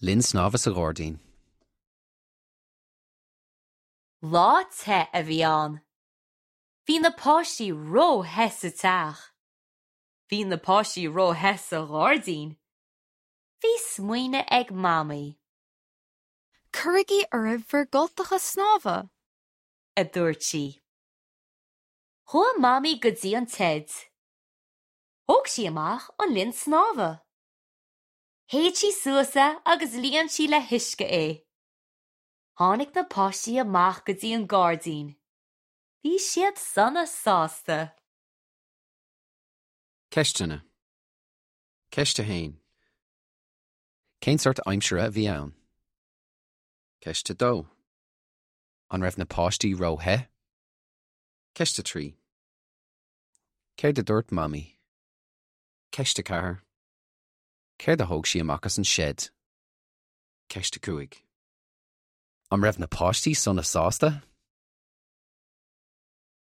Linn snámha sa ghairdín. Lá te a bhí ann. Bhí na páistí ró-the sa teach. Bhí na páistí ró-the sa ghairdín. Bhí smaoineamh ag Mamaí. Cuirigí oraibh bhur gcultacha snámha! a dúirt sí. Chuaigh Mamaí go dtí an tseid. Thóg sí amach an linn snámha. Shéid sí suas é agus líon sí le huisce é. Tháinig na páistí amach go dtí an gairdín. Bhí siad sona sásta. Ceisteanna. Ceist 1. Cén sórt aimsire a bhí ann? Ceist 2. An raibh na páistí ró-the? Ceist 3. Céard a dúirt Mamaí? Ceist 4. Céard a thóg sí amach as an seid? Ceist 5. An raibh na páistí sona sásta?